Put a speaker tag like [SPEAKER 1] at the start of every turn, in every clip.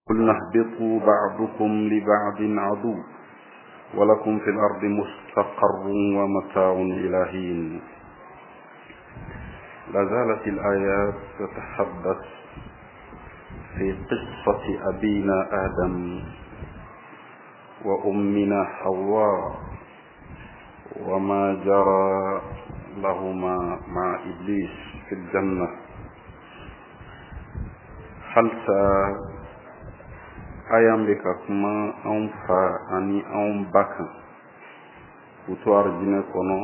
[SPEAKER 1] قلنا اهبطوا بعضكم لبعض عدو ولكم في الأرض مستقر ومتاع إلى حين. لا زالت الآيات تتحدث في قصة أبينا آدم وأمنا حواء وما جرى لهما مع إبليس في الجنة. Halisa aya bɛ ka kuma anw fa ani anw ba kan k'u to arijinɛ kɔnɔ.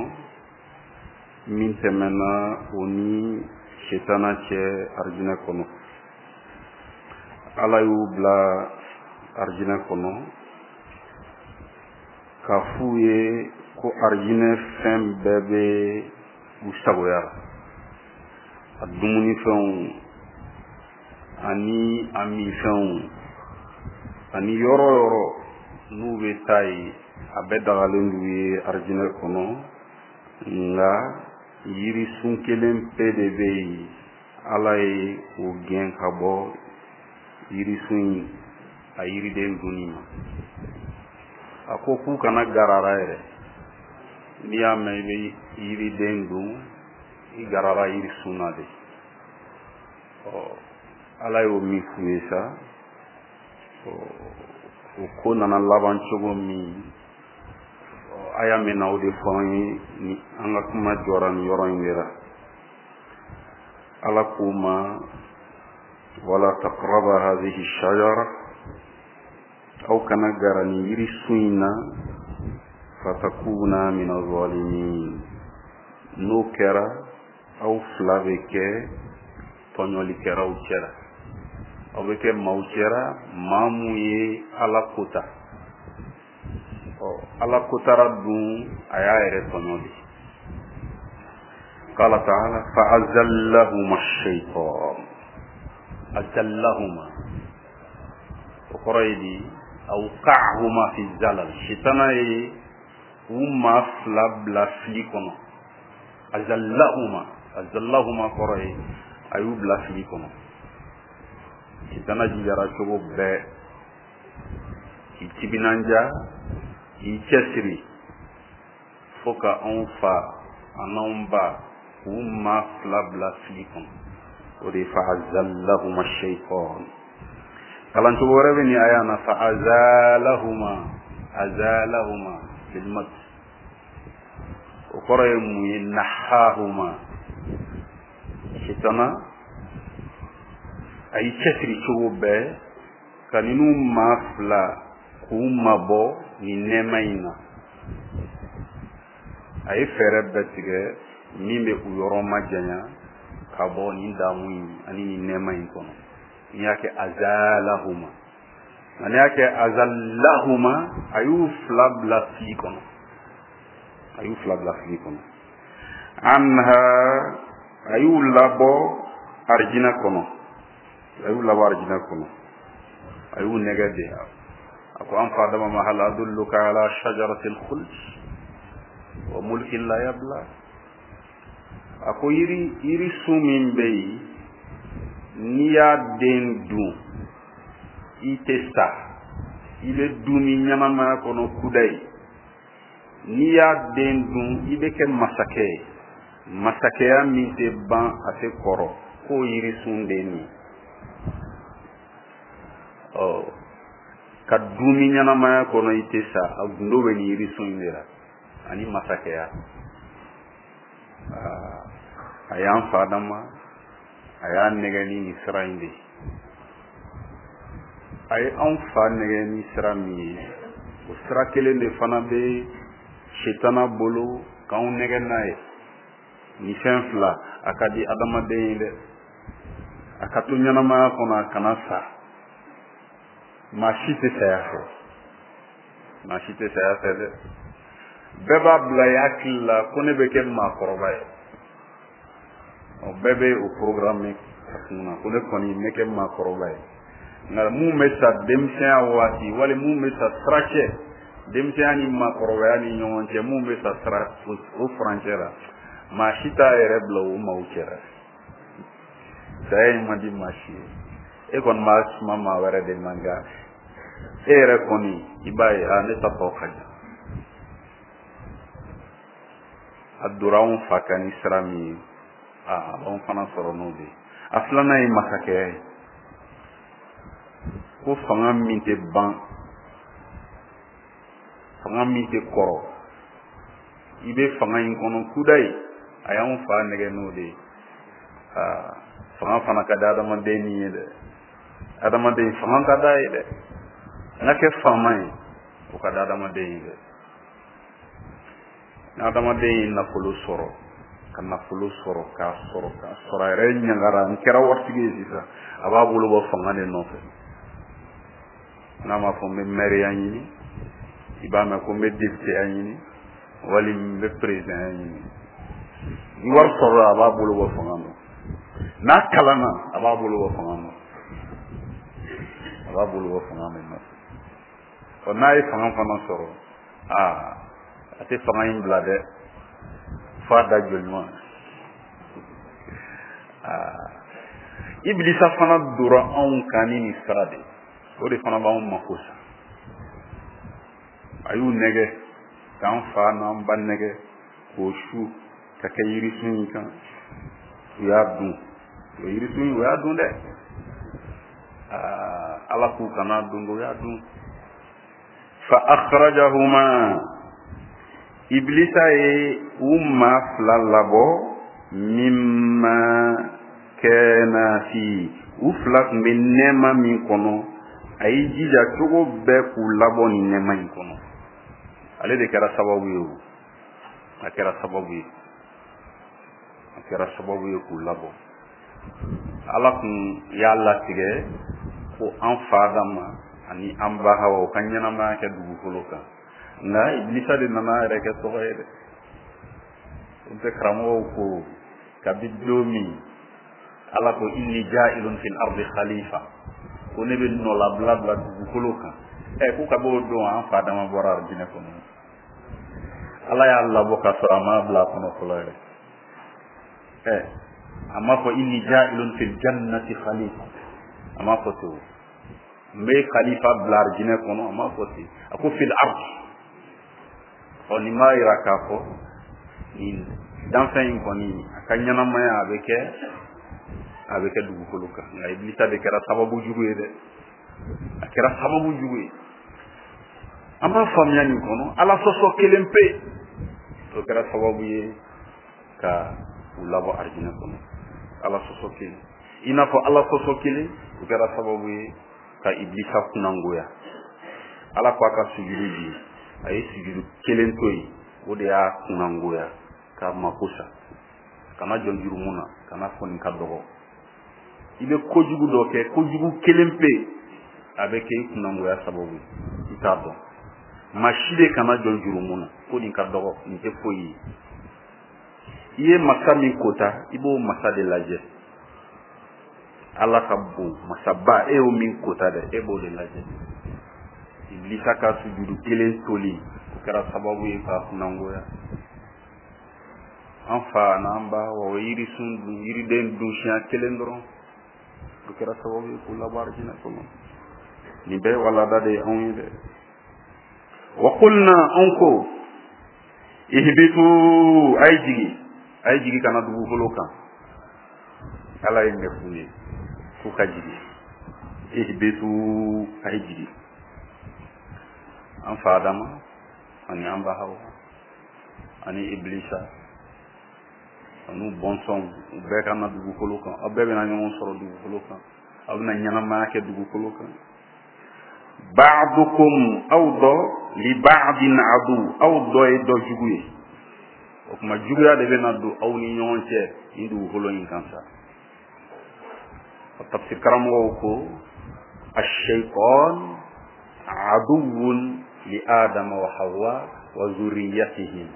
[SPEAKER 1] Min tɛmɛna o ni setana cɛ arijinɛ kɔnɔ, Ala y'u bila arijinɛ kɔnɔ k'a f'u ye ko arijinɛ fɛn bɛɛ bɛ u sagoya la, a dumunifɛnw ani a minfɛnw ani yɔrɔ yɔrɔ n'u bɛ taa yen, a bɛɛ dagalen d'u ye arijinɛ kɔnɔ. Nka yirisun kelen pe de bɛ yen, Ala ye o gɛn ka bɔ yirisun in a yiriden dunni ma. A ko k'u kana garara yɛrɛ. N'i y'a mɛn i bɛ yiriden dun, i garara yirisun na de. Ɔ, Ala y'o min f'u ye sa, o ko nana laban cogo min, aya min na o de fɔ an ye ni an ka kuma jɔra nin yɔrɔ in de la. Ala k'u ma: wala taqraba hadhihi shajara, aw kana gara nin yirisun in na, fatakuna min azalimin, n'o kɛra aw fila bɛ kɛ tɔɲɔlikɛlaw cɛla, aw bɛ kɛ maaw cɛra maa mun ye Ala kota. Ɔ, Ala kotara dun, a y'a yɛrɛ tɔɲɔ de. Qala ta'ala: fa'azallahuma ash-shaytan. Azallahuma, o kɔrɔ ye di? Awqa'ahuma fi zalal. Sitana ye u maa fila bila fili kɔnɔ. Azallahuma, azallahuma kɔrɔ ye a y'u bila fili kɔnɔ. Sitana jijara cogo bɛɛ k'i timinanja, k'i cɛsiri fo ka anw fa an'anw ba k'u maa fila bila fili kɔnɔ. O de ye fa azallahuma shaytan. Kalancogo wɛrɛ bɛ nin aya na: fa azalahuma, azalahuma bilmat. O kɔrɔ ye mun ye? Nahahuma. Sitana a y'i cɛsiri cogo bɛɛ ka ninnu maa fila k'u mabɔ nin nɛɛma in na. A ye fɛɛrɛ bɛɛ tigɛ min bɛ u yɔrɔ majanya ka bɔ nin damu in ani nin nɛɛma in kɔnɔ. N'i y'a kɛ azalahuma, nka n'i y'a kɛ azalahuma, a y'u fila bila fili kɔnɔ, a y'u fila bila fili kɔnɔ. Anha, a y'u labɔ arijinɛ kɔnɔ, a y'u labɔ arijinɛ kɔnɔ, a y'u nɛgɛ de. A ko an fa Adama ma: hal adulluka ala shajaratil khuld wa mulkin la yabla. A ko yiri sun min bɛ yen, n'i y'a den dun, i tɛ sa, i bɛ dunni ɲɛnamaya kɔnɔ kudayi. N'i y'a den dun, i bɛ kɛ masakɛ ye, masakɛya min tɛ ban, a tɛ kɔrɔ. K'o yirisun den nin, ɔ ka dunni ɲɛnamaya kɔnɔ, i tɛ sa, a gundo bɛ nin yirisun in de la ani masakɛya. A y'an fa Adama, a y'a nɛgɛ ni nin sira in de ye. A ye anw fa nɛgɛ ni sira min ye, o sira kelen de fana bɛ setana bolo k'anw nɛgɛ n'a ye. Nin fɛn fila a ka di adamaden ye dɛ: a ka to ɲɛnamaya kɔnɔ, a kana sa. Maa si tɛ saya fɛ, maa si tɛ saya fɛ dɛ. Bɛɛ b'a bila i hakili la ko ne bɛ kɛ maakɔrɔba ye. Ɔ, bɛɛ bɛ o programme a kun na ko ne kɔni n bɛ kɛ maakɔrɔba ye. Nka mun bɛ sa denmisɛnya waati, wali mun bɛ sa sira cɛ, denmisɛnya ni maakɔrɔbaya ni ɲɔgɔn cɛ, mun bɛ sa sira o furancɛ la, maa si t'a yɛrɛ bila o maaw cɛla. Saya in man di maa si ye. E kɔni b'a suma maa wɛrɛ de ma, nka e yɛrɛ kɔni i b'a ye, aa, ne ta tɔ ka jan. A donna anw fa kan ni sira min ye, aa, a b'anw fana sɔrɔ n'o de ye. A filanan ye masakɛya ye, ko fanga min tɛ ban, fanga min tɛ kɔrɔ, i bɛ fanga in kɔnɔ kudayi. A y'anw fa nɛgɛ n'o de ye. Aa, fanga fana ka di adamaden ni ye dɛ, adamaden fanga ka d'a ye dɛ. N ka kɛ faama ye, o ka di adamaden ye dɛ. Ni adamaden ye nafolo sɔrɔ, ka nafolo sɔrɔ, k'a sɔrɔ, k'a sɔrɔ, a yɛrɛ ɲagara, n kɛra waritigi ye sisan, a b'a bolo bɔ fanga de nɔfɛ. N'a ma fɔ n bɛ mɛriya ɲini, i b'a mɛn ko n bɛ députéya ɲini, wali n bɛ présidentya ɲini. Ni wari sɔrɔla, a b'a bolo bɔ fanga nɔ. N'a kalanna, a b'a bolo bɔ fanga nɔ, a b'a bolo bɔ fanga de nɔfɛ. Ɔ, n'a ye fanga fana sɔrɔ, aa, a tɛ fanga in bila dɛ, f'a da jɔɲɔgɔn. Aa, Ibilisa fana dora anw kan ni nin sira de ye, o de fana b'anw mako sa. A y'u nɛgɛ, k'an fa n'an ba nɛgɛ, k'o su ka kɛ yirisun in kan, u y'a dun. O yirisun in, u y'a dun dɛ. Aa, Ala k'u kana dun, u y'a dun. Fa akhrajahuma, Ibilisa ye u maa fila labɔ, mimma kana fi, u fila tun bɛ nɛɛma min kɔnɔ, a y'i jija cogo bɛɛ k'u labɔ nin nɛɛma in kɔnɔ. Ale de kɛra sababu ye, o a kɛra sababu ye, a kɛra sababu ye k'u labɔ. Ala kun y'a latigɛ ko an fa Adama ani an ba Hawa, u ka ɲɛnamaya kɛ dugukolo kan, nka Ibilisa de nana a yɛrɛ kɛ tɔgɔ ye dɛ. O tɛ karamɔgɔw ko kabi don min Ala ko inni ja'ilun fil ardi khalifa, ko ne bɛ nɔlabila bila dugukolo kan, ɛ, ko kabi o don an fa Adama bɔra arijinɛ kɔnɔ. Ala y'a labɔ k'a sɔrɔ a m'a bila a kɔnɔ fɔlɔ yɛrɛ. Ɛ, a m'a fɔ inni ja'ilun fil jannati khalifa, a m'a fɔ ten. O n bɛ khalifa bila arijinɛ kɔnɔ, a m'a fɔ ten, a ko fil ardi. Ɔ, nin b'a yira k'a fɔ nin danfɛn in kɔni, a ka ɲɛnamaya a bɛ kɛ dugukolo kan. Nka Ibilisa de kɛra sababu jugu ye dɛ, a kɛra sababu jugu ye. An b'a faamuya nin kɔnɔ, Ala sɔsɔ kelen pe, o kɛra sababu ye ka u labɔ arijinɛ kɔnɔ. Ala sɔsɔ kelen, i n'a fɔ Ala sɔsɔ kelen, o kɛra sababu ye ka Ibilisa kunnangoya. Ala ko a ka sujudu di, a ye sujudu kelen to yen, o de y'a kunnangoya k'a mako sa. Kana jɔn jurumu na, kana fɔ nin ka dɔgɔ. I bɛ kojugu dɔ kɛ, kojugu kelen pe, a bɛ kɛ i kunnangoya sababu ye, i t'a dɔn. Maa si de kana jɔn jurumu na ko nin ka dɔgɔ, nin tɛ foyi ye. I ye masa min kota, i b'o masa de lajɛ. Ala ka bon, masaba, e y'o min kota dɛ, e b'o de lajɛ. Ibilisa ka sujudu kelen toli, o kɛra sababu ye k'a kunnangoya. An fa n'an ba wa, o yirisun dun, yiriden dun siɲɛ kelen dɔrɔn, o kɛra sababu ye k'u labɔ arijinɛ kɔnɔ. Nin bɛɛ ye walada de ye anw ye dɛ. Wa qulna, anw ko, ihbitu, a ye jigi, a ye jigi ka na dugukolo kan. Ala ye ɲɛ f'u ye k'u ka jigi. Ihbitu, a ye jigi, an fa Adama ani an ba Hawa ani Iblisa an'u bɔnsɔnw, u bɛɛ ka na dugukolo kan. Aw bɛɛ bɛna ɲɔgɔn sɔrɔ dugukolo kan, aw bɛna ɲɛnamaya kɛ dugukolo kan. Ba'dukum, aw dɔ, li ba'din adu, aw dɔ ye dɔ jugu ye. O tuma juguya de bɛna don aw ni ɲɔgɔn cɛ nin dugukolo in kan sa. O tafsir karamɔgɔw ko ash-shaytan aduwwun li Adama wa Hawa wa zurriyatihim,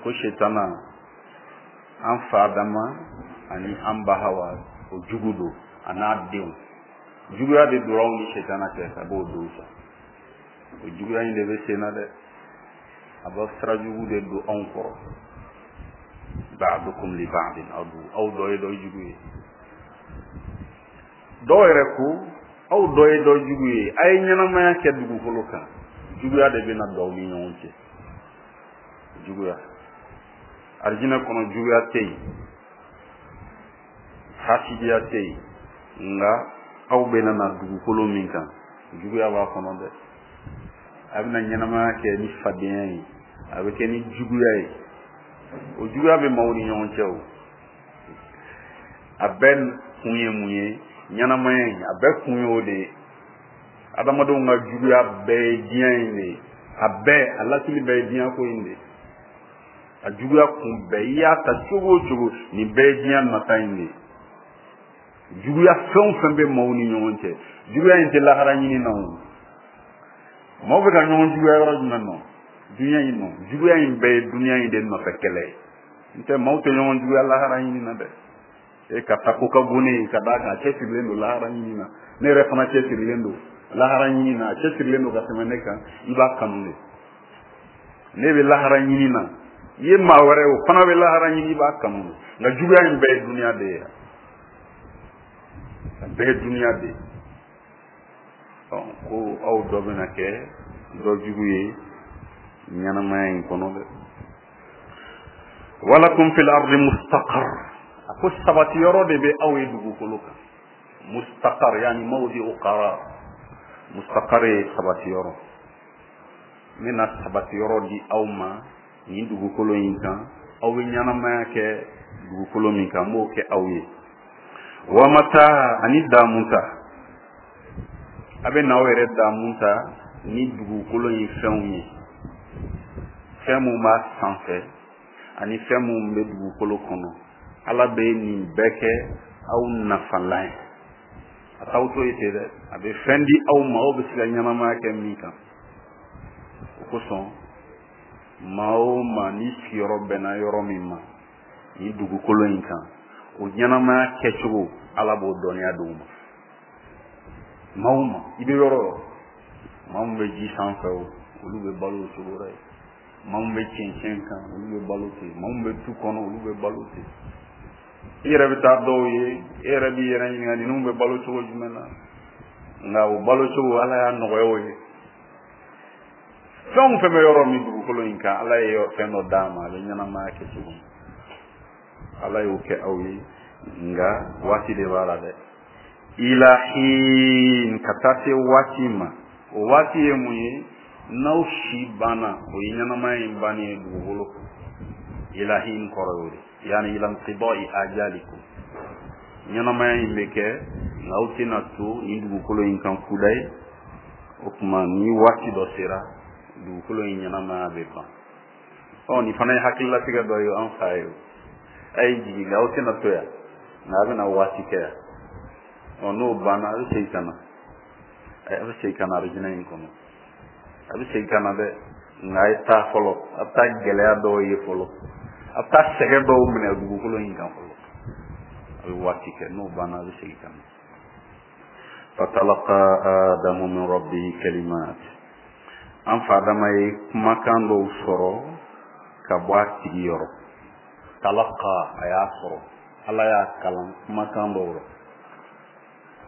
[SPEAKER 1] ko shetana, an fa Adama ani an ba Hawa, o jugu don, a n'a denw. Juguya de donna aw ni shetana cɛ ka b'o don sa. O juguya in de bɛ sen na dɛ, a b'a sira jugu de don anw kɔrɔ. Ba'dukum li ba'din adu, aw dɔ ye dɔ jugu ye. Dɔw yɛrɛ ko aw dɔ ye dɔ jugu ye, a ye ɲɛnamaya kɛ dugukolo kan, juguya de bɛna don aw ni ɲɔgɔn cɛ. Juguya arijinɛ kɔnɔ, juguya tɛ yen, hasidiya tɛ yen, nka aw bɛna na dugukolo min kan, juguya b'a kɔnɔ dɛ. A bɛna ɲɛnamaya kɛ ni fadenya ye, a bɛ kɛ ni juguya ye. O juguya bɛ maaw ni ɲɔgɔn cɛ. O a bɛɛ kun ye mun ye? Ɲɛnamaya in, a bɛɛ kun ye o de ye. Adamadenw ka juguya bɛɛ ye diɲɛ in de ye. A bɛɛ, a lasili bɛɛ ye diɲɛ ko in de ye. A juguya kun bɛɛ, i y'a ta cogo o cogo, nin bɛɛ ye diɲɛ nata in de ye. Juguya fɛn o fɛn bɛ maaw ni ɲɔgɔn cɛ, juguya in tɛ lahara ɲini na. O maaw bɛ ka ɲɔgɔn juguya yɔrɔ jumɛn nɔ? Dunuya in nɔ. Juguya in bɛɛ ye dunuya in de nɔfɛ kɛlɛ ye. N tɛ maaw tɛ ɲɔgɔn juguya lahara ɲini na dɛ. E ka taa ko ka bon ne ye, ka d'a kan a cɛsirilen don lahara ɲini na, ne yɛrɛ fana cɛsirilen don lahara ɲini na, a cɛsirilen don ka tɛmɛ ne kan, i b'a kanu de. Ne bɛ lahara ɲini na, i ye maa wɛrɛ o fana bɛ lahara ɲini, i b'a kanu de. Nka juguya in bɛɛ ye dunuya de ye, a bɛɛ ye dunuya de ye. Ko aw dɔ bɛna kɛ dɔ jugu ye ɲɛnamaya in kɔnɔ dɛ. Walakum fil ardi mustaqar, a ko sabati yɔrɔ de bɛ aw ye dugukolo kan. Mustaqar yani mawdi'u qarar, mustaqar ye sabati yɔrɔ. N bɛna sabati yɔrɔ di aw ma nin dugukolo in kan, aw bɛ ɲɛnamaya kɛ dugukolo min kan, n b'o kɛ aw ye. Wa mata ani daamu ta, a bɛ n'aw yɛrɛ daamu ta ni dugukolo in fɛnw ye, fɛn mun b'a sanfɛ ani fɛn mun bɛ dugukolo kɔnɔ. Ala bɛ nin bɛɛ kɛ aw nafalan ye. A t'aw to yen ten dɛ, a bɛ fɛn di aw ma aw bɛ se ka ɲɛnamaya kɛ min kan. O kosɔn maa o maa n'i sigiyɔrɔ bɛnna yɔrɔ min ma nin dugukolo in kan, o ɲɛnamaya kɛcogo Ala b'o dɔnniya d'o ma. Maa o maa i bɛ yɔrɔ o yɔrɔ, maa min bɛ ji sanfɛ o, olu bɛ balo o cogo la yen. Maa min bɛ cɛncɛn kan, olu bɛ balo ten. Maa min bɛ tu kɔnɔ, olu bɛ balo ten. I yɛrɛ bɛ taa dɔw ye, e yɛrɛ b'i yɛrɛ ɲininka ninnu bɛ balo cogo jumɛn na, nka o balo cogo Ala y'a nɔgɔya o ye. Fɛn o fɛn bɛ yɔrɔ min dugukolo in kan, Ala ye fɛn dɔ d'a ma, a bɛ ɲɛnamaya kɛ cogo min, Ala y'o kɛ aw ye. Nka waati de b'a la dɛ. Ilahin, ka taa se waati ma. O waati ye mun ye? N'aw si banna, o ye ɲɛnamaya in bannen ye dugukolo kan. Ilahin kɔrɔ y'o de, yani ila inqidai ajalikum. Ɲɛnamaya in bɛ kɛ, nka aw tɛna to nin dugukolo in kan kudayi. O tuma ni waati dɔ sera, dugukolo in ɲɛnamaya bɛ ban. Ɔ nin fana ye hakililatigɛ dɔ ye an fa ye. A ye jigin, nka aw tɛna to yan, nka a bɛna waati kɛ yan. Ɔ n'o banna, a bɛ segin ka na, a bɛ segin ka na arijinɛ in kɔnɔ. A bɛ segin ka na dɛ, nka a ye taa fɔlɔ, a bɛ taa gɛlɛya dɔw ye fɔlɔ, a bɛ taa sɛgɛn dɔw minɛ dugukolo in kan fɔlɔ. A bɛ waati kɛ, n'o banna, a bɛ segin ka na. Fatalaqa Adamu min rabbihi kalimat, an fa Adama ye kumakan dɔw sɔrɔ ka bɔ a tigi yɔrɔ. Talaqa, a y'a sɔrɔ, Ala y'a kalan kumakan dɔw rɔ,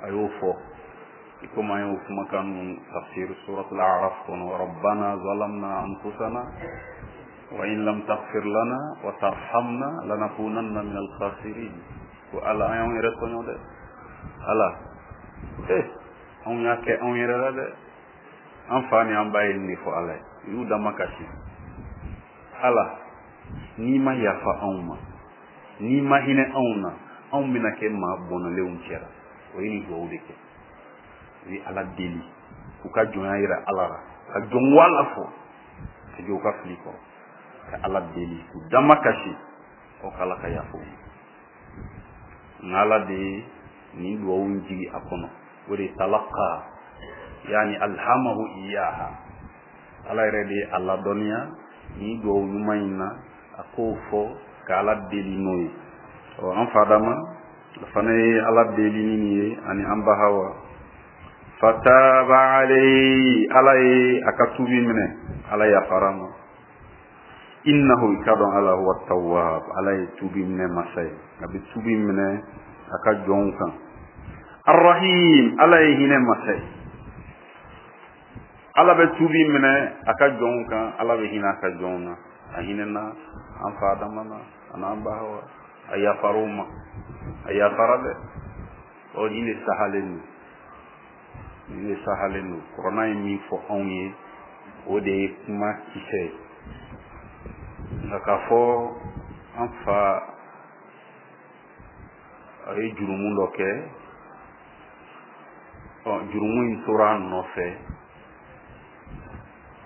[SPEAKER 1] a y'o fɔ. I komi an y'o kumakan ninnu tafsir suratul A'raf kɔnɔ, rabbana zalamna anfusana wa in lam taghfir lana wa tarhamna lanakunanna min al-khasirin. Ko Ala, an y'anw yɛrɛ tɔɲɔ dɛ, Ala, anw y'a kɛ anw yɛrɛ la dɛ. An fa ni an ba ye nin de fɔ Ala ye, u y'u damakasi. Ala, n'i ma yafa anw ma, n'i ma hinɛ anw na, anw bɛna kɛ maa bɔnɛlenw cɛra. O ye nin duwawu de kɛ. U ye Ala deli k'u ka jɔnya yira Ala la, ka jɔn wala fɔ, ka jɔ u ka fili kɔrɔ, ka Ala deli k'u damakasi, o k'Ala ka yafa u ma. Nka Ala de ye nin duwawu in jigi a kɔnɔ. O de ye talaqa, yani alhamahu iyaha. Ala yɛrɛ de ye a ladɔnniya nin duwawu ɲuman in na, a k'o fɔ ka Ala deli n'o ye. Ɔ an fa Adama fana ye Ala deli ni nin ye, ani an ba Hawa. Fataba alayhi, Ala ye a ka tuubi minɛ, Ala yafara ma. Innahu, i k'a dɔn Ala huwa tawwab, Ala ye tuubi minɛ masa ye, a bɛ tuubi minɛ a ka jɔnw kan. Arrahim, Ala ye hinɛ masa ye. Ala bɛ tuubi minɛ a ka jɔnw kan, Ala bɛ hinɛ a ka jɔnw na. A hinɛna an fa Adama na, a n'an ba Hawa, a yafara u ma, a yafara dɛ. Ɔ nin de sahalen don, nin de sahalen don. Kurana ye min fɔ anw ye, o de ye kuma kisɛ ye. Nka k'a fɔ an fa a ye jurumu dɔ kɛ, ɔ jurumu in tora a nɔfɛ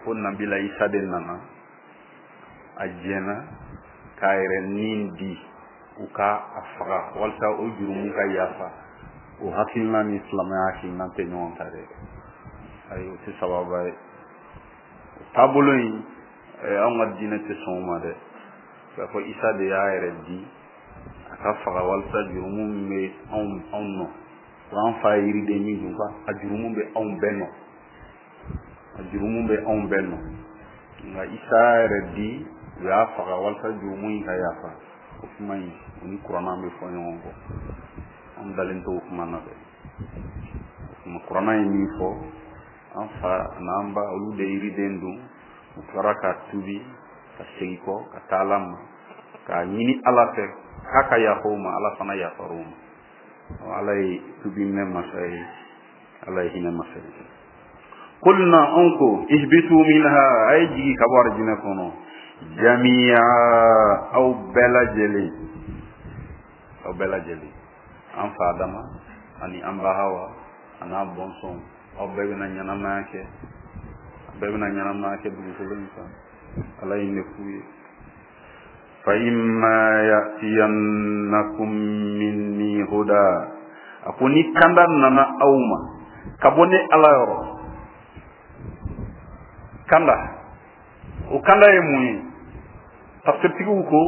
[SPEAKER 1] fo Nabila Isa de nana, a jɛnna k'a yɛrɛ ni di u ka a faga walasa o jurumu ka yafa. O hakilina ni silamɛya hakilina tɛ ɲɔgɔn ta dɛ. Ayi, o tɛ sababa ye. O taabolo in, anw ka diinɛ tɛ sɔn o ma dɛ. K'a fɔ Isa de y'a yɛrɛ di a ka faga walasa jurumu min bɛ anw nɔ, ko an fa ye yiriden min dun, ko a jurumu bɛ anw bɛɛ nɔ, a jurumu bɛ anw bɛɛ nɔ. Nka Isa y'a yɛrɛ di, u y'a faga walasa jurumu in ka yafa. O kuma in, o ni kuranna bɛ fɔ ɲɔgɔn kɔ. An dalen t'o kuma na dɛ. O kuma kuranna ye min fɔ, an fa n'an ba olu de yiriden dun, u tilara ka tubi ka segin kɔ ka taa Ala ma, k'a ɲini Ala fɛ k'a ka yafa u ma, Ala fana yafara u ma. Ala ye tubi minɛ masa ye, Ala ye hinɛ masa ye. Kulna, anw ko, ihbitu minha, a ye jigin ka bɔ arijinɛ kɔnɔ, jamiya, aw bɛɛ lajɛlen, aw bɛɛ lajɛlen, an fa Adama ani an ba Hawa a n'a bɔnsɔnw, aw bɛɛ bɛna ɲɛnamaya kɛ, aw bɛɛ bɛna ɲɛnamaya kɛ dugukolo in kan. Ala ye ne f'u ye. Fa imma ya'tiyannakum minni huda, a ko ni kanda nana aw ma ka bɔ ne Ala yɔrɔ, kanda, o kanda ye mun ye? Tafsirtigiw ko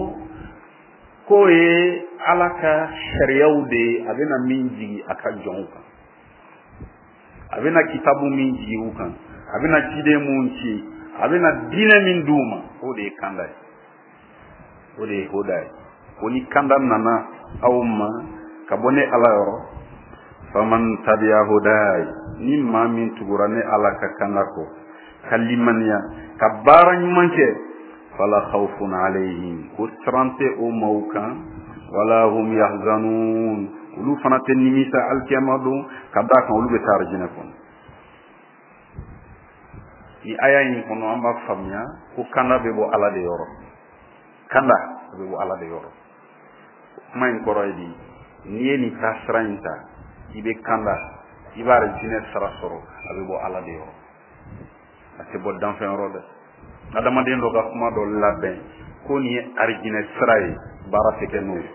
[SPEAKER 1] k'o ye Ala ka sariyaw de ye, a bɛna min jigi a ka jɔnw kan, a bɛna kitabu min jigi u kan, a bɛna ciden mun ci, a bɛna diinɛ min d'u ma, o de ye kanda ye, o de ye hoda ye. Ko ni kanda nana aw ma ka bɔ ne Ala yɔrɔ, faman tabi'a hudaya, ni maa min tugura ne Ala ka kanda kɔ, ka limaniya, ka baara ɲuman kɛ, fala khawfun alayhim, ko siran tɛ o maaw kan, wala hum yahzanun, olu fana tɛ nimisa alikiyama don, ka d'a kan olu bɛ taa arijinɛ kɔnɔ. Ni aya in kɔnɔ, an b'a faamuya ko kanda bɛ bɔ Ala de yɔrɔ, kanda bɛ bɔ Ala de yɔrɔ. Kuma in kɔrɔ ye di? N'i ye nin taasira in ta, i bɛ kanda, i b'a arijinɛ sara sɔrɔ, a bɛ bɔ Ala de yɔrɔ, a tɛ bɔ danfɛn yɔrɔ dɛ. Adamaden dɔ ka kuma dɔ labɛn ko nin ye arijinɛ sira ye, baara tɛ kɛ n'o ye.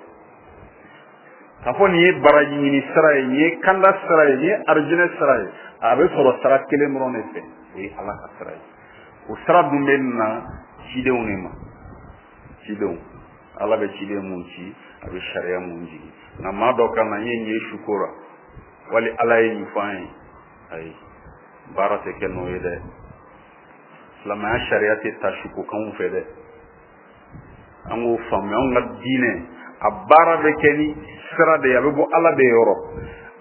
[SPEAKER 1] K'a fɔ nin ye baraji ɲini sira ye, nin ye kanda sira ye, nin ye arijinɛ sira ye, a bɛ sɔrɔ sira kelen dɔrɔn de fɛ, o ye Ala ka sira ye. O sira dun bɛ na cidenw de ma, cidenw, Ala bɛ ciden mun ci, a bɛ sariya mun jigin. Nka maa dɔ ka na n ye nin ye suko la, wali Ala ye nin fɔ an ye, ayi, baara tɛ kɛ n'o ye dɛ. Silamɛya sariya tɛ ta sukokanw fɛ dɛ. An k'o faamuya, anw ka diinɛ a baara bɛ kɛ ni sira de ye, a bɛ bɔ Ala de yɔrɔ,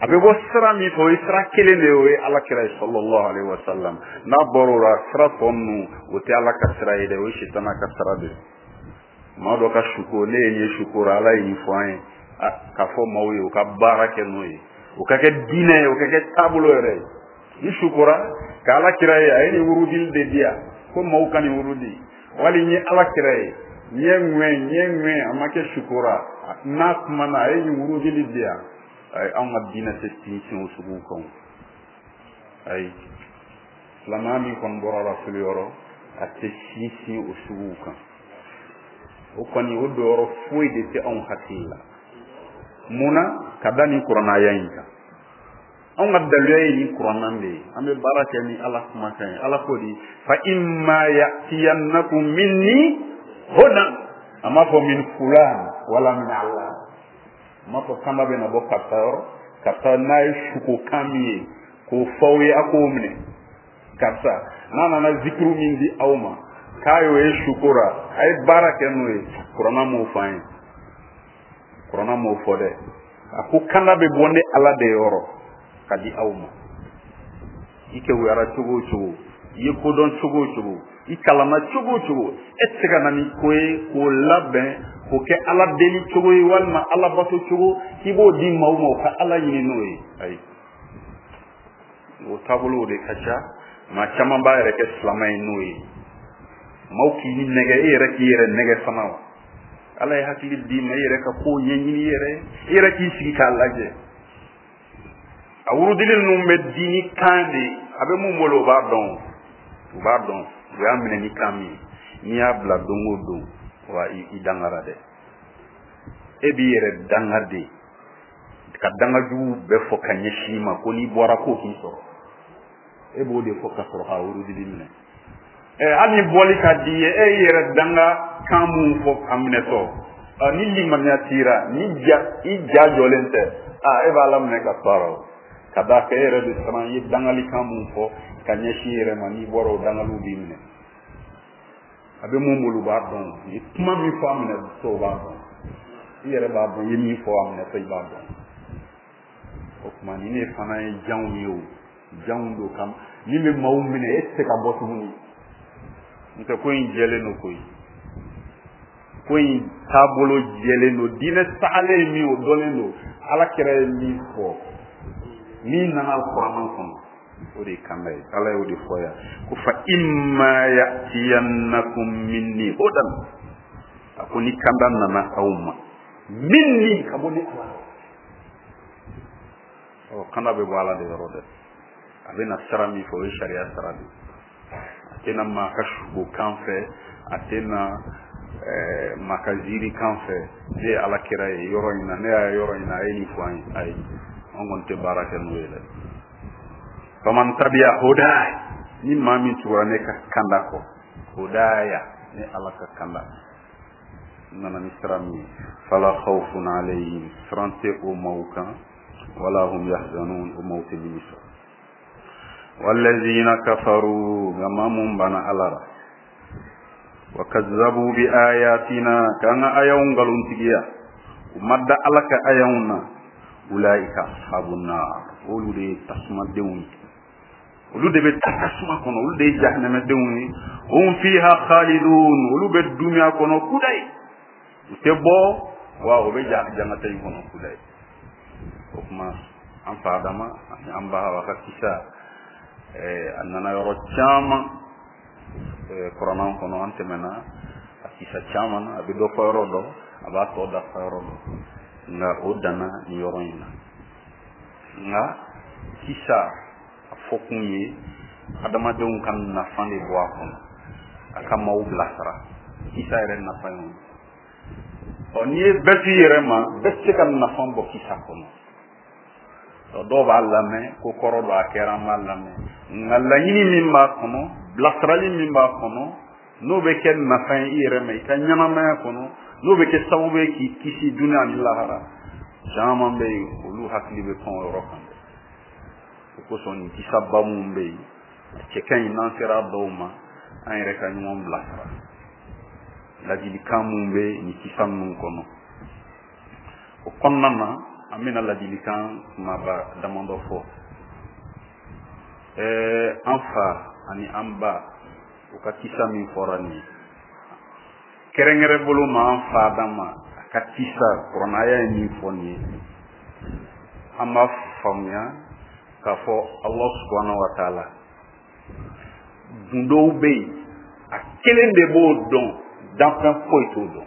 [SPEAKER 1] a bɛ bɔ sira min fɛ, o ye sira kelen de ye, o ye Ala kira ye sallallahu alaihi wa sallam. N'a bɔra o la, sira tɔ ninnu o tɛ Ala ka sira ye dɛ, o ye sitana ka sira de ye. Maa dɔ ka suko, ne ye nin ye suko la, Ala ye nin fɔ an ye, k'a fɔ maaw ye u ka baara kɛ n'o ye, o ka kɛ diinɛ ye, o ka kɛ taabolo yɛrɛ ye. Ni sukora ka Ala kira ye, a ye nin wurudili de di yan ko maaw ka nin wurudi, wali n ye Ala kira ye, n ye ŋwɛ, n ye ŋwɛ, a ma kɛ sukora, n'a kumana a ye nin wurudili di yan. Ayi, anw ka diinɛ tɛ sinsin o suguw kan. Ayi, silamɛya min kɔni bɔra Rasulu yɔrɔ, a tɛ sinsin o suguw kan. O kɔni, o donyɔrɔ foyi de tɛ anw hakili la. Mun na? Ka da nin kuranna in kan. Anw ka daluya ye nin kuranna de ye, an bɛ baara kɛ ni Ala kumakan ye. Ala ko di, fa imma ya'tiyannakum minni hudan, a m'a fɔ min fulan wala min Allah, a m'a fɔ kanda bɛ na bɔ karisa yɔrɔ, karisa n'a ye sukokan min ye k'o fɔ aw ye, a k'o minɛ, karisa n'a nana zikiru min di aw ma k'a y'o ye sukora, a ye baara kɛ n'o ye. Kuranna m'o fɔ an ye, kuranna m'o fɔ dɛ. A ko kanda bɛ bɔ ne Ala de yɔrɔ. ka di aw ma. I kewuyara cogo o cogo, i ye kodɔn cogo o cogo, i kalanna cogo o cogo, e tɛ se ka na ni ko ye k'o labɛn k'o kɛ Ala deli cogo ye walima Ala bato cogo k'i b'o di maaw ma u ka Ala ɲini n'o ye. Ayi, o taabolow de ka ca. Maa caman b'a yɛrɛ kɛ silamɛ ye n'o ye. Maaw k'i nɛgɛ, e yɛrɛ k'i yɛrɛ nɛgɛ fana wa. Ala ye hakili d'i ma, i yɛrɛ ka kow ɲɛɲini i yɛrɛ ye, i yɛrɛ k'i sigi k'a lajɛ. A wurudili ninnu bɛ di ni kan de ye, a bɛ mun bolo o b'a dɔn, u b'a dɔn, u y'a minɛ ni kan min ye. N'i y'a bila don o don, wa i dangara dɛ. E b'i yɛrɛ danga de, ka danga jugu bɛɛ fɔ ka ɲɛsin i ma ko n'i bɔra ko k'i sɔrɔ. E b'o de fɔ ka sɔrɔ k'a wurudili minɛ. Hali ni bɔli ka di i ye, e y'i yɛrɛ danga kan mun fɔ a minɛtɔ, ni limaniya t'i ra, ni ja i ja jɔlen tɛ, e b'a laminɛ ka to a la o. Ka d'a kan e yɛrɛ bɛ siran, i ye dangalikan mun fɔ ka ɲɛsin i yɛrɛ ma, n'i bɔra o dangaliw b'i minɛ. A bɛ mun bolo u b'a dɔn, i ye kuma min fɔ a minɛtɔ u b'a dɔn, i yɛrɛ b'a dɔn, i ye min fɔ a minɛtɔ i b'a dɔn. O tuma nin de fana ye janw ye o, janw don kam min bɛ maaw minɛ, e tɛ se ka bɔ tuguni. N'o tɛ ko in jɛlen don koyi, ko in taabolo jɛlen don, diinɛ sahalen ye min o dɔnnen don, Ala kira ye min fɔ, min nana alikuranɛ kɔnɔ, o de ye kanda ye. Ala y'o de fɔ yan ko fa imma ya'tiyannakum minni hudan, a ko ni kanda nana aw ma, minni ka bɔ ne Ala la. Ɔ, kanda bɛ bɔ Ala de yɔrɔ dɛ. A bɛ na sira min fɛ, o ye sariya sira de ye. A tɛ na maa ka sugo kan fɛ, a tɛ na maa ka ziiri kan fɛ. Ne ye Ala kira ye yɔrɔ in na, ne y'a ye yɔrɔ in na, a ye nin fɔ an ye. Ayi, an kɔni tɛ baara kɛ n'o ye dɛ. Faman tabiya hudaya, ni maa min tugura ne ka kanda kɔ, hudaya, ne Ala ka kanda, n nana ni sira min ye, fala khawfun alayhim, siran tɛ o maaw kan, wala hum yahzanun, o maaw tɛ nimisa. Wallazina kafaru, nka maa mun banna Ala la, wa kazzabu bi ayatina, k'an ka ayaw nkalontigiya, u ma da Ala ka ayaw na, ulaika ashabun nar, olu de ye tasumadenw ye, olu de bɛ taa tasuma kɔnɔ, olu de ye jahanamadenw ye. Hum fiha khalidun, olu bɛ dunya kɔnɔ kudayi, u tɛ bɔ, wa u bɛ jangata in kɔnɔ kudayi. O tuma an fa Adama ani an ba Hawa ka kisa, a nana yɔrɔ caman kuranɛ kɔnɔ, an tɛmɛna a kisa caman na, a bɛ dɔ fɔ yɔrɔ dɔ, a b'a tɔ dafa yɔrɔ dɔ, nka o danna nin yɔrɔ in na. Nka kisa a fɔkun ye adamadenw ka nafa de bɔ a kɔnɔ, a ka maaw bilasira. Kisa yɛrɛ nafa ye o ye. Ɔ, n'i ye bɛɛ t'i yɛrɛ ma, bɛɛ tɛ se ka nafa bɔ kisa kɔnɔ. Ɔ, dɔw b'a lamɛn ko kɔrɔ dɔ a kɛra, an b'a lamɛn, nka laɲini min b'a kɔnɔ, bilasirali min b'a kɔnɔ, n'o bɛ kɛ nafa ye i yɛrɛ ma i ka ɲɛnamaya kɔnɔ, n'o bɛ kɛ sababu ye k'i kisi dunuya ani lahara, caman bɛ yen olu hakili bɛ pan o yɔrɔ kan dɛ. O kosɔn nin kisaba minnu bɛ yen, a cɛ ka ɲi n'an sera dɔw ma, an yɛrɛ ka ɲɔgɔn bilasira. Ladilikan minnu bɛ nin kisa ninnu kɔnɔ, o kɔnɔna na an bɛna ladilikan kumaba damadɔ fɔ. An fa ani an ba u ka kisa min fɔra nin ye, kɛrɛnkɛrɛn bolo ma an fa Adama a ka kisa, kuranɛ ye min fɔ nin ye, an b'a faamuya k'a fɔ Allah subhanahu wa ta'ala gundow bɛ yen, a kelen de b'o dɔn, danfɛn foyi t'o dɔn.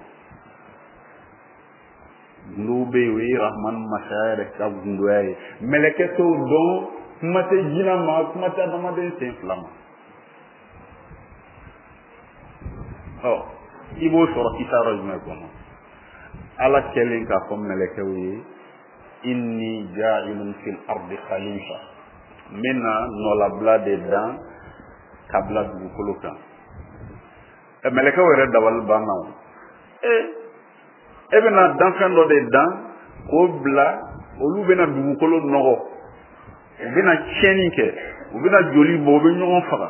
[SPEAKER 1] Gundow bɛ yen, o ye Rahman masaya yɛrɛ ka gundoya ye, mɛlɛkɛ t'o dɔn, kuma tɛ jinɛ ma, kuma tɛ adamaden sen fila ma. Ɔ, i b'o sɔrɔ kisa yɔrɔ jumɛn kɔnɔ? Ala kɛlen k'a fɔ mɛlɛkɛw ye, inni ja'ilun fil ardi khalifa, n bɛna nɔlabila de dan ka bila dugukolo kan. Mɛlɛkɛw yɛrɛ dabali banna o. E bɛna danfɛn dɔ de dan k'o bila, olu bɛna dugukolo nɔgɔ, u bɛna tiɲɛni kɛ, u bɛna joli bɔ, u bɛ ɲɔgɔn faga.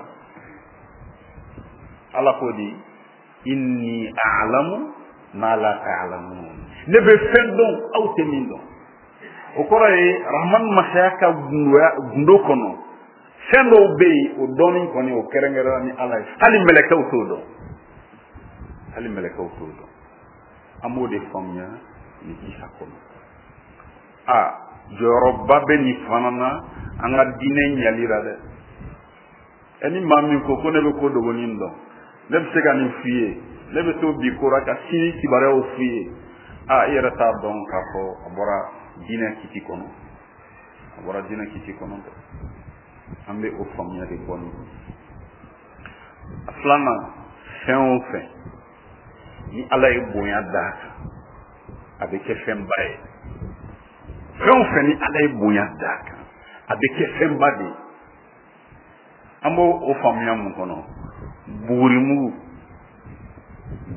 [SPEAKER 1] Ala ko di, inni a'lamu ma la ta'lamun, ne bɛ fɛn dɔn aw tɛ min dɔn. O kɔrɔ ye Rahman masaya ka gundo kɔnɔ fɛn dɔw bɛ yen, o dɔnni kɔni o kɛrɛnkɛrɛnna ni Ala ye, hali mɛlɛkɛw t'o dɔn, hali mɛlɛkɛw t'o dɔn. An b'o de faamuya nin kisa kɔnɔ. A jɔyɔrɔba bɛ nin fana na an ka diinɛ ɲali la dɛ. Ɛ ni maa min ko ko ne bɛ ko dogonin dɔn, ne bɛ se ka nin f'i ye, ne bɛ to bi ko la ka sini kibaruyaw f'i ye, a i yɛrɛ t'a dɔn k'a fɔ a bɔra diinɛ kiti kɔnɔ, a bɔra diinɛ kiti kɔnɔ dɛ. An bɛ o faamuya de bɔ nin. A filanan, fɛn o fɛn ni Ala ye bonya d'a kan, a bɛ kɛ fɛnba ye. Fɛn o fɛn ni Ala ye bonya d'a kan, a bɛ kɛ fɛnba de ye. An b'o o faamuya mun kɔnɔ? Bugurimugu,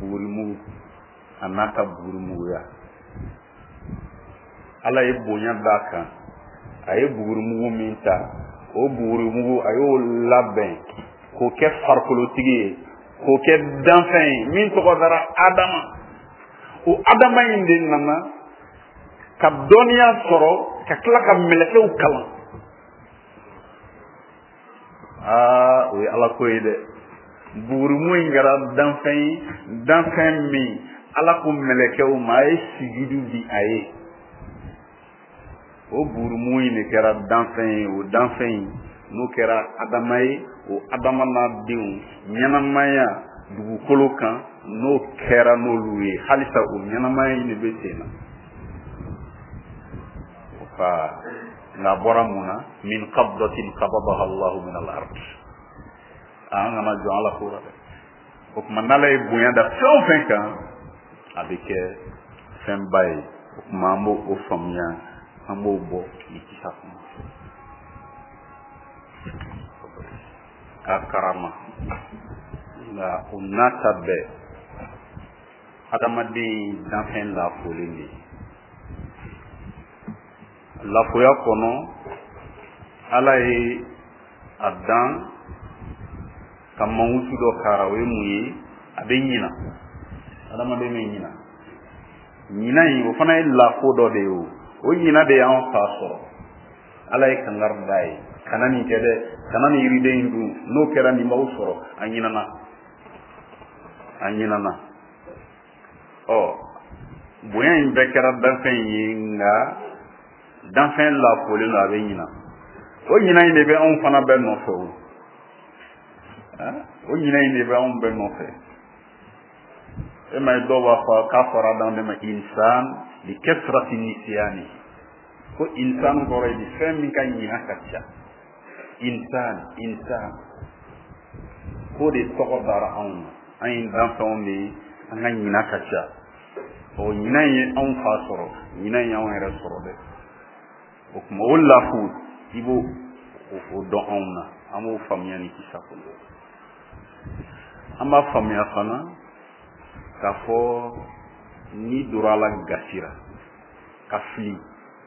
[SPEAKER 1] bugurimugu a n'a ka bugurimuguya, Ala ye bonya d'a kan. A ye bugurimugu min ta, o bugurimugu a y'o labɛn k'o kɛ farikolotigi ye, k'o kɛ danfɛn ye min tɔgɔ dara Adama. O Adama in de nana ka dɔnniya sɔrɔ ka tila ka mɛlɛkɛw kalan. Aa, o ye Ala ko ye dɛ. Bugurimu in kɛra danfɛn ye, danfɛn min Ala ko mɛlɛkɛw ma a ye sujudu di a ye. O bugurimu in de kɛra danfɛn ye, o danfɛn in n'o kɛra Adama ye, o Adama n'a denw ɲɛnamaya dugukolo kan n'o kɛra n'olu ye, halisa o ɲɛnamaya in de bɛ sen na. Fa nka a bɔra mun na? Min qabdatin qabadaha Allahu min al-ard. An kana jɔn Ala ko la dɛ. O tuma n'Ala ye bonya da fɛn o fɛn kan, a bɛ kɛ fɛnba ye. O tuma an b'o o faamuya, an b'o bɔ nin kisa kɔnɔ. A karama, nka o n'a ta bɛɛ, adamaden danfɛn lafolen de ye. Lafoya kɔnɔ, Ala ye a dan ka mankutu dɔ kara, o ye mun ye? A bɛ ɲina, adamaden bɛ ɲina. Ɲina in o fana ye lafo dɔ de ye. O ɲina de y'an fa sɔrɔ. Ala ye kangari d'a ye, kana nin kɛ dɛ, kana nin yiriden in dun, n'o kɛra nin b'aw sɔrɔ. A ɲinana, a ɲinana. Ɔ bonya in bɛɛ kɛra danfɛn ye, nka danfɛn lafolen don, a bɛ ɲina. O ɲina in de bɛ anw fana bɛɛ nɔfɛ. O o ɲina in de bɛ anw bɛɛ nɔfɛ. E ma ye dɔw b'a fɔ k'a fɔra adamaden ma insan li kasrati nisyani, ko insan kɔrɔ ye di fɛn min ka ɲina ka ca. Insan, insan k'o de tɔgɔ dara anw na. An ye danfɛnw de ye, an ka ɲina ka ca. O ɲina in ye anw fa sɔrɔ, ɲina in y'anw yɛrɛ sɔrɔ dɛ. O tuma o lafu i b'o o dɔn anw na, an b'o faamuya ni kisa kɔnɔ. An b'a faamuya fana k'a fɔ n'i donna Ala gasira ka fili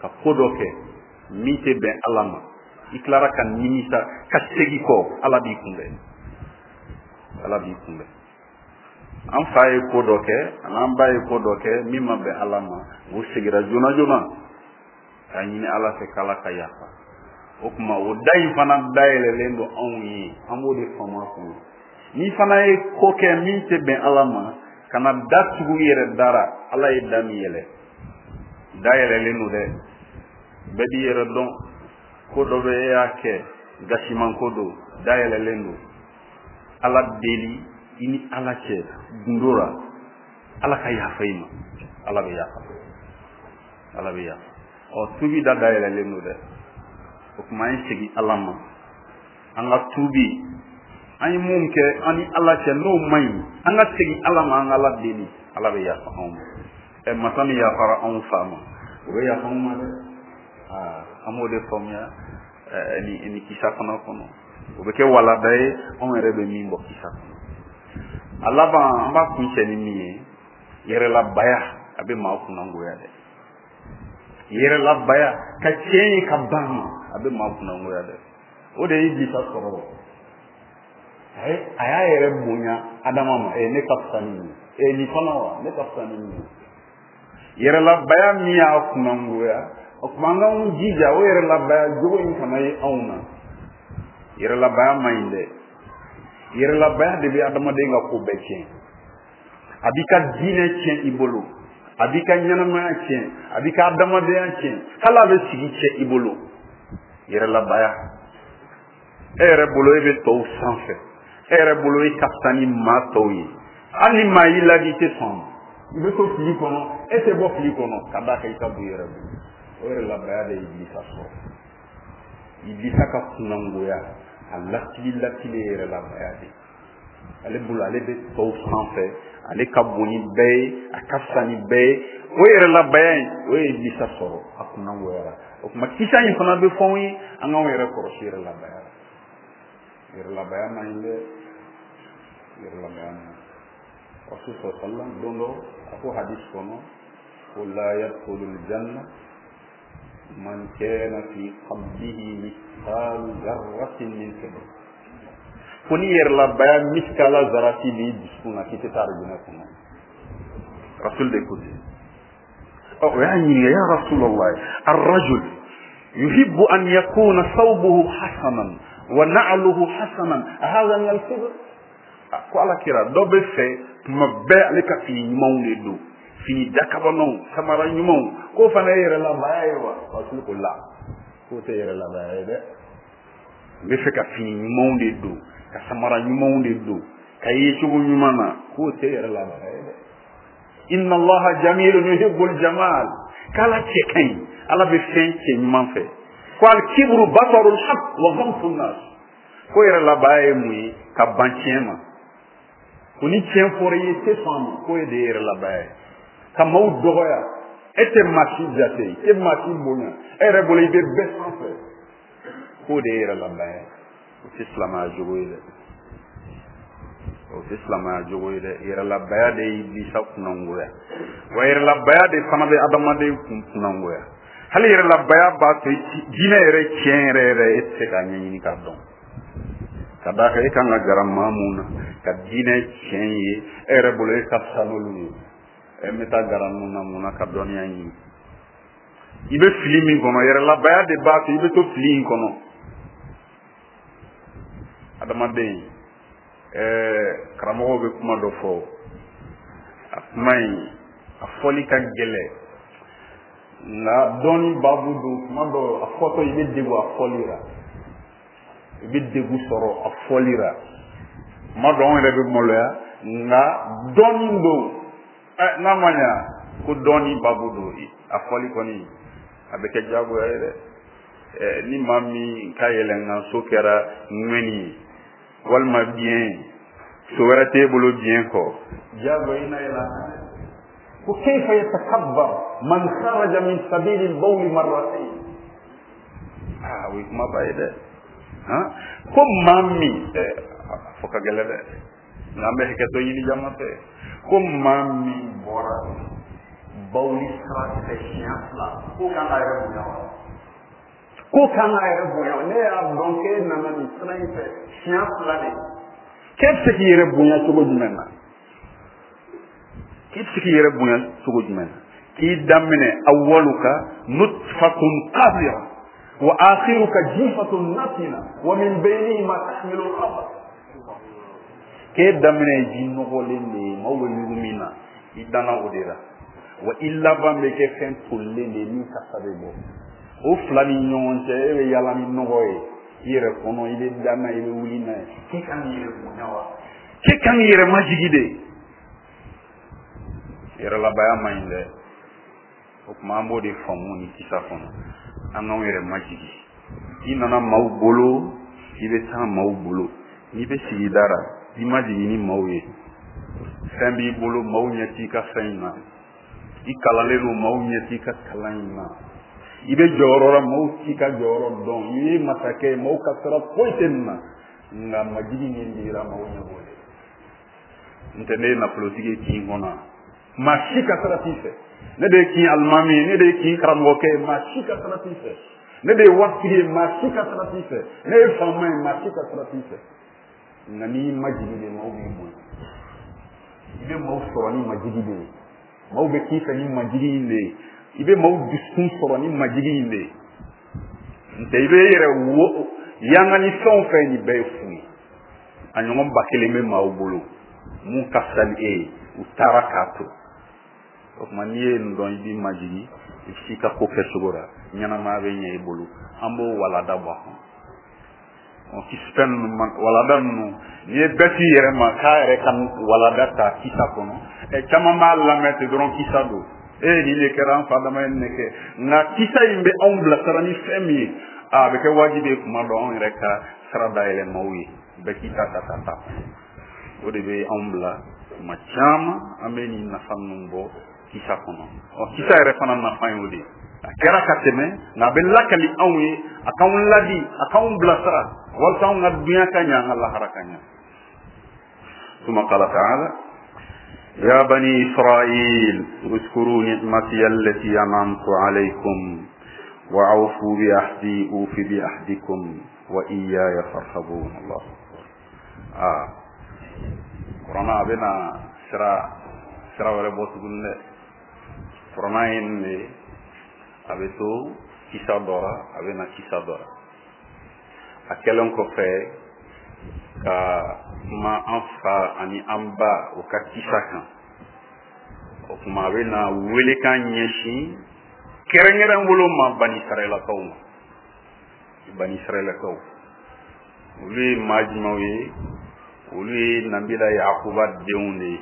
[SPEAKER 1] ka ko dɔ kɛ min tɛ bɛn Ala ma, i tilara ka nimisa ka segin kɔ, Ala b'i kunbɛn, Ala b'i kunbɛn. An fa ye ko dɔ kɛ, an'an ba ye ko dɔ kɛ min ma bɛn Ala ma, o seginna joona joona k'a ɲini Ala fɛ k'Ala ka yafa. O tuma o da in fana dayɛlɛlen don anw ye, an b'o de faamu a kɔnɔ. N'i fana ye ko kɛ min tɛ bɛn Ala ma, kana da tugu i yɛrɛ dara. Ala ye da min yɛlɛ, da yɛlɛlen don dɛ. Bɛɛ b'i yɛrɛ dɔn. Ko dɔ bɛ e y'a kɛ gasiman ko don, da yɛlɛlen don. Ala deli i ni Ala cɛ gundo la, Ala ka yafa i ma, Ala bɛ yafa, Ala bɛ yafa. Ɔ tubi da dayɛlɛlen don dɛ. O tuma an ye segin Ala ma, an ka tubi. An ye mun kɛ an ni Ala cɛ n'o man ɲi, an ka segin Ala ma, an ka Ala deli, Ala bɛ yafa anw ma. Ɛ masa min yafara anw fa ma, o bɛ yafa anw ma dɛ. Aa, an b'o de faamuya ni kisa fana kɔnɔ. O bɛ kɛ walada ye anw yɛrɛ bɛ min bɔ kisa kɔnɔ. A laban an b'a kuncɛ ni min ye, yɛrɛlabaya a bɛ maa kunnangoya dɛ. Yɛrɛlabaya ka tiɲɛ ye ka ban ma, a bɛ maa kunnangoya dɛ. O de ye Ibilisa sɔrɔ. A y'a yɛrɛ bonya Adama ma, ne ka fisa ni nin ye, nin fana wa, ne ka fisa ni nin ye. Yɛrɛlabaya min y'a kunnangoya, O tuma an k'anw jija o yɛrɛlabaya jogo in kana ye anw na. Yɛrɛlabaya man ɲi dɛ. Yɛrɛlabaya de bɛ adamaden ka ko bɛɛ tiɲɛ. A b'i ka diinɛ tiɲɛ i bolo, a b'i ka ɲɛnamaya tiɲɛ, a b'i ka adamadenya tiɲɛ, hali a bɛ sigi tiɲɛ i bolo. Yɛrɛlabaya. E yɛrɛ bolo e bɛ tɔw sanfɛ, e yɛrɛ bolo e ka fisa ni maa tɔw ye. Hali ni maa y'i ladi i tɛ sɔn a ma. I bɛ to fili kɔnɔ, e tɛ bɔ fili kɔnɔ ka d'a kan i ka bon i yɛrɛ bolo. O yɛrɛlabaya de ye Ibilisa sɔrɔ. Ibilisa ka kunnangoya a latili latili ye yɛrɛlabaya de ye. Ale bolo ale bɛ tɔw sanfɛ, ale ka bon ni bɛɛ ye, a ka fisa ni bɛɛ ye. O yɛrɛlabaya in o ye Ibilisa sɔrɔ, a kunnangoyara. O tuma kisa in fana bɛ fɔ anw ye, an k'anw yɛrɛ kɔlɔsi yɛrɛlabaya la. Yɛrɛlabaya man ɲi dɛ, yɛrɛlabaya man ɲi. Rasul sallallahu alaihi wasallam don dɔ a ko hadis kɔnɔ ko la yadkhulul janna man kana fi qalbihi mithqalu dharratin min kibr. Ko ni yɛrɛlabaya miskala zarati b'i dusukun na k'i tɛ taa arijinɛ kɔnɔ. Rasul de ko ten. Ɔ o y'a ɲininka, ya Rasulallah, arrajul yuhibbu an yakuna thawbuhu hasanan wa na'luhu hasanan hadha min al-kibr. Ko ala kira dɔ bɛ fɛ tuma bɛɛ ale ka fini ɲumanw de don, fini dakabanaw, samara ɲumanw, k'o fana ye yɛrɛlabaya ye wa? Rasul ko la, k'o tɛ yɛrɛlabaya ye dɛ. N bɛ fɛ ka fini ɲumanw de don, ka samara ɲumanw de don, ka ye cogo ɲuman na, k'o tɛ yɛrɛlabaya ye dɛ. Inna Allaha jamilun yuhibbul jamal. K'ala cɛ ka ɲi, ala bɛ fɛn cɛ ɲuman fɛ. Ko al-kibru batarul haqq wa ghamtun nas. Ko yɛrɛlabaya ye mun ye? Ka ban tiɲɛ ma. Ko ni tiɲɛ fɔra i ye tɛ sɔn a ma, k'o ye de ye yɛrɛlabaya ye. Ka maaw dɔgɔya, e tɛ maa si jate, i tɛ maa si bonya, e yɛrɛ bolo i bɛ bɛɛ sanfɛ, k'o de ye yɛrɛlabaya ye. O tɛ silamɛya jogo ye dɛ, o tɛ silamɛya jogo ye dɛ. Yɛrɛlabaya de ye Ibilisa kunnangoya, wa yɛrɛlabaya de fana bɛ adamaden kun kunnangoya. Hali yɛrɛlabaya b'a to diinɛ yɛrɛ tiɲɛ yɛrɛ yɛrɛ e tɛ se k'a ɲɛɲini k'a dɔn. Ka d'a kan e kan ka gara maa mun na ka diinɛ tiɲɛ ye, e yɛrɛ bolo e ka fisa n'olu ye. E bɛ taa gara ninnu na mun na ka dɔnniya ɲini? I bɛ fili min kɔnɔ, yɛrɛlabaya de b'a to i bɛ to fili in kɔnɔ. Adamaden, karamɔgɔw bɛ kuma dɔ fɔ, a kuma in a fɔli ka gɛlɛn, nka dɔnni baabu don. Kuma dɔ a fɔtɔ i bɛ degun a fɔli la, i bɛ degun sɔrɔ a fɔli la. Kuma dɔ anw yɛrɛ bɛ maloya, nka dɔnni don. N'a ma ɲa ko dɔnni baabu don, a fɔli kɔni a bɛ kɛ diyagoya ye dɛ. Ni maa min ka yɛlɛnkanso kɛra ŋɛni ye walima biɲɛ ye, so wɛrɛ t'e bolo biɲɛ kɔ, diyagoya i na yɛlɛ a kan dɛ. Ko kayfa yatakabbar man kharaja min sabili al-bawl marratayn. O ye kumaba ye dɛ. Ko maa min, a fɔ ka gɛlɛn dɛ, nka an bɛ hakɛto ɲini jama fɛ. Ko maa min bɔra bawuli sira fɛ siɲɛ fila, k'o kan k'a yɛrɛ bonya wa? K'o kan k'a yɛrɛ bonya wa? Ne y'a dɔn k'e nana nin sira in fɛ siɲɛ fila de, k'e bɛ se k'i yɛrɛ bonya cogo jumɛn na? K'e bɛ se k'i yɛrɛ bonya cogo jumɛn na? K'i daminɛ awwaluka nutfatun qadira wa akhiruka jifatun natina wa min baynihima tahmilu al-khabar. K'e daminɛ ye ji nɔgɔlen de ye, maaw bɛ ɲugu min na, i danna o de la. Wa i laban bɛ kɛ fɛn tolilen de ye min kasa bɛ bɔ. O fila ni ɲɔgɔn cɛ, e bɛ yaala ni nɔgɔ ye i yɛrɛ kɔnɔ, i bɛ da n'a ye, i bɛ wuli n'a ye. K'e kan k'i yɛrɛ bonya wa? K'e kan k'i yɛrɛ majigi de? Yɛrɛlabaya man ɲi dɛ. O tuma an b'o de faamu nin kisa kɔnɔ, an k'anw yɛrɛ majigi. I nana maaw bolo, i bɛ taa maaw bolo. N'i bɛ sigida la, i majigi ni maaw ye. Fɛn b'i bolo, maaw ɲɛ t'i ka fɛn in na. I kalanlen don, maaw ɲɛ t'i ka kalan in na. I bɛ jɔyɔrɔ la, maaw t'i ka jɔyɔrɔ dɔn. I ye masakɛ ye, maaw ka sira foyi tɛ nin na. Nka majigi min dira, maaw ɲɛ b'o de. N tɛ ne ye nafolotigi ye kin kɔnɔ, maa si ka sira t'i fɛ. Ne de ye kin alimami ye, ne de ye kin karamɔgɔkɛ ye, maa si ka sira t'i fɛ. Ne de ye waritigi ye, maa si ka sira t'i fɛ. Ne ye faama ye, maa si ka sira t'i fɛ. Nka n'i majigi de, maaw b'i bonya. I bɛ maaw sɔrɔ ni majigi de ye, maaw bɛ k'i fɛ ni majigi in de ye. I bɛ maaw dusukun sɔrɔ ni majigi in de ye. N tɛ i bɛ i yɛrɛ wo yanga ni fɛn o fɛn nin bɛɛ ye fu ye. A ɲɔgɔn 1000 bɛ maaw bolo mun ka fisa ni e ye, u taara k'a to. O tuma n'i ye nin dɔn, i b'i majigi, i bɛ s'i ka ko kɛcogo la, ɲɛnamaya bɛ ɲɛ i bolo. An b'o walada bɔ a kɔnɔ. Fɛn ninnu walada ninnu, n'i ye bɛɛ t'i yɛrɛ ma k'a yɛrɛ ka walada ta kisa kɔnɔ, caman b'a lamɛn ten dɔrɔn kisa don. Nin de kɛra an fa dama ye nin de kɛ. Nka kisa in bɛ anw bilasira ni fɛn min ye, a bɛ kɛ wajibi ye kuma dɔ anw yɛrɛ ka sira dayɛlɛ maaw ye, bɛɛ k'i ta ta ka taa. O de bɛ anw bila kuma caman an bɛ nin nafa ninnu bɔ kisa kɔnɔ. Kisa yɛrɛ fana nafa ye o de ye. A kɛra ka tɛmɛ, nka a bɛ lakali anw ye, a k'anw ladi, a k'anw bilasira walasa anw ka dunya ka ɲɛ, an ka lahara ka ɲɛ. ثم قال تعالى يا بني إسرائيل اذكروا نعمتي التي أنعمت عليكم وأوفوا بعهدي أوف بعهدكم وإياي فارهبون. الله أكبر. قرآن بنا سرا wɛrɛ bɔ tuguni dɛ. Kuranna ye nin de ye, a bɛ to kisa dɔ la, a bɛ na kisa dɔ la. A kɛlen kɔfɛ ka kuma an fa ani an ba o ka kisa kan, o tuma a bɛ na welekan ɲɛsin kɛrɛnkɛrɛn bolo ma Bani Israɛlakaw ma. Bani Israɛlakaw, olu ye maa jumɛnw ye? Olu ye Nabila Yakuba denw de ye.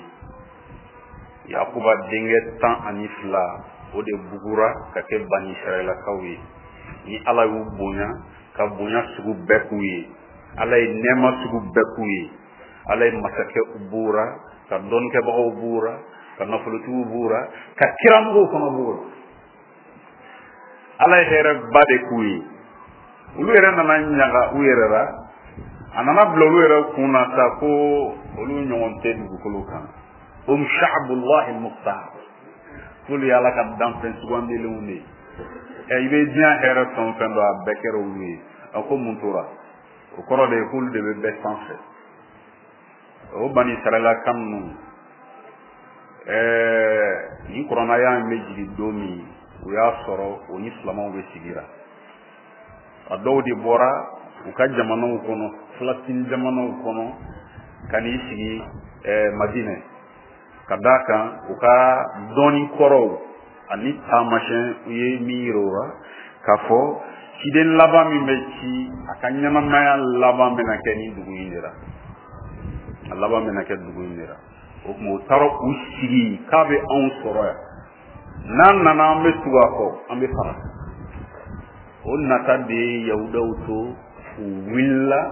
[SPEAKER 1] Yakuba denkɛ 12 o de bugura ka kɛ Bani Israɛlakaw ye. Ni Ala y'u bonya ka bonya sugu bɛɛ k'u ye, Ala ye nɛɛma sugu bɛɛ k'u ye, Ala ye masakɛ b'u ra, ka dɔnnikɛbagaw b'u ra, ka nafolotigiw b'u ra, ka kiramɔgɔw fana b'u ra. Ala ye hɛrɛba de k'u ye. Olu yɛrɛ nana ɲaga u yɛrɛ la, a nana bila olu yɛrɛ kun na sa ko olu ɲɔgɔn tɛ dugukolo kan. Hum sha'bullahi al-mukhtar, k'olu ye Ala ka danfɛn sugandilenw de ye. I bɛ diɲɛ hɛrɛ fɛn o fɛn dɔn, a bɛɛ kɛra olu ye. A ko mun tora? O kɔrɔ de ye k'olu de bɛ bɛɛ sanfɛ. O Bani Israɛlaka ninnu, nin kuranaya in bɛ jigin don min, o y'a sɔrɔ o ni silamɛw bɛ sigira. A dɔw de bɔra u ka jamanaw kɔnɔ, Filastin jamanaw kɔnɔ, ka n'i sigi Madinɛ, ka d'a kan u ka dɔnni kɔrɔw ani taamasiyɛn u ye min yira u la k'a fɔ ciden laban min bɛ ci, a ka ɲɛnamaya laban bɛna kɛ nin dugu in de la. A laban bɛna kɛ dugu in de la. O tuma u taara u sigi k'a bɛ anw sɔrɔ yan, n'an nana an bɛ tugu a kɔ, an bɛ fara. O nata de ye Yahudaw to u wulila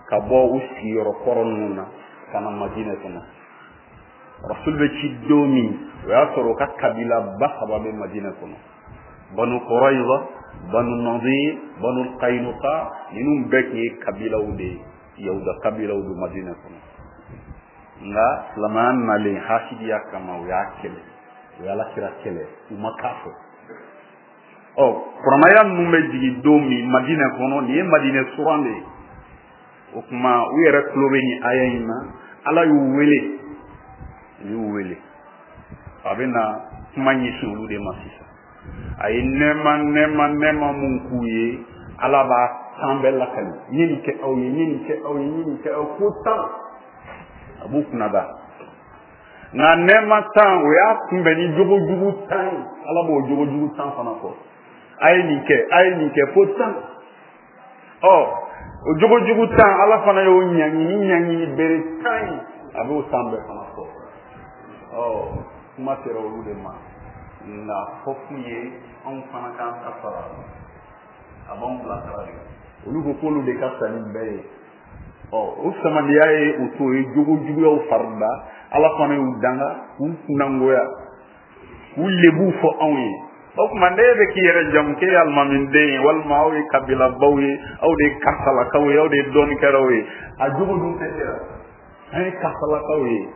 [SPEAKER 1] ka bɔ u sigiyɔrɔ kɔrɔ ninnu na ka na Madinɛ kɔnɔ. Rasul bɛ ci don min, o y'a sɔrɔ u ka kabilaba 3 bɛ Madinɛ kɔnɔ. Banu Qurayza, Banu Nadir, Banu Qaynuqa, ninnu bɛɛ tun ye kabilaw de ye, Yahuda kabilaw don Madinɛ kɔnɔ. Nka silamɛya nalen hasidiya kama, u y'a kɛlɛ, u ye Alakira kɛlɛ, u ma k'a fɔ. Kuranaya ninnu bɛ jigin don min Madinɛ kɔnɔ, nin ye Madinɛ suran de ye. O tuma u yɛrɛ tulo bɛ nin aya in na, Ala y'u wele, u y'u wele. A bɛ na kuma ɲɛsin olu de ma sisan. A ye nɛɛma nɛɛma nɛɛma mun k'u ye, Ala b'a tan bɛɛ lakali. N ye nin kɛ aw ye, n ye nin kɛ aw ye, n ye nin kɛ aw ye, ko 10. A b'u kunna da. Nka nɛɛma 10, o y'a kunbɛn ni jogojugu 10 ye. Ala b'o jogojugu 10 fana fɔ. A ye nin kɛ, a ye nin kɛ fo 10. O jogojugu 10, Ala fana y'o ɲangi ni ɲangini bere 10 ye. A b'o 10 bɛɛ fana fɔ. Kuma sera olu de ma. Nka fɔ k'u ye anw fana k'an ta sara. A b'anw bila sara de. Olu ko k'olu de ka fisa ni bɛɛ ye. O samadiya ye u to ye jogojuguyaw farida. Ala fana y'u danga k'u kunnangoya, k'u lebuw fɔ anw ye. O tuma n'e bɛ k'i yɛrɛ jamu k'e ye alimamiden ye, walima aw ye kabilabaw ye, aw de ye karisalakaw ye, aw de ye dɔnnikɛlaw ye, a jogo dun tɛ e la. An ye karisalakaw ye,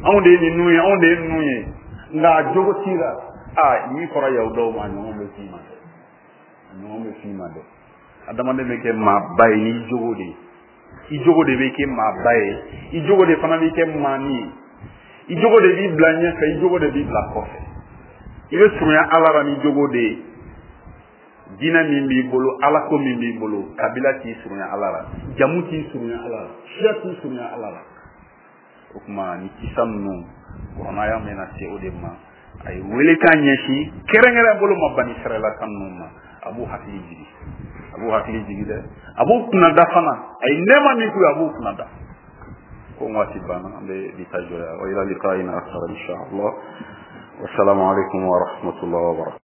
[SPEAKER 1] anw de ye ninnu ye, anw de ye ninnu ye, nka a jogo t'i la. Min fɔra Yahudaw ma, a ɲɔgɔn bɛ f'i ma dɛ, a ɲɔgɔn bɛ f'i ma dɛ. Adamaden bɛ kɛ maaba ye n'i jogo de ye. I jogo de bɛ kɛ maaba ye, i jogo de fana bɛ kɛ maani ye, i jogo de b'i bila ɲɛfɛ, i jogo de b'i bila kɔfɛ. I bɛ surunya Ala la ni jogo de ye. Diinɛ min b'i bolo, Ala ko min b'i bolo, kabila t'i surunya Ala la, jamu t'i surunya Ala la, siya t'i surunya Ala la. O tuma ni kisa ninnu, kuranaya bɛna se o de ma. A ye welekan ɲɛsin kɛrɛnkɛrɛn bolo ma Bani Israɛlaka ninnu ma. A b'u hakili jigi, a b'u hakili jigi dɛ, a b'u kunnada fana. A ye nɛɛma min k'u ye, a b'u kunnada. Ko waati banna, an bɛ bi ta jɔ yan. Wa ila liqa'in akhar insha Allah. Wassalamu alaikum wa rahmatullahi wa barakatuh.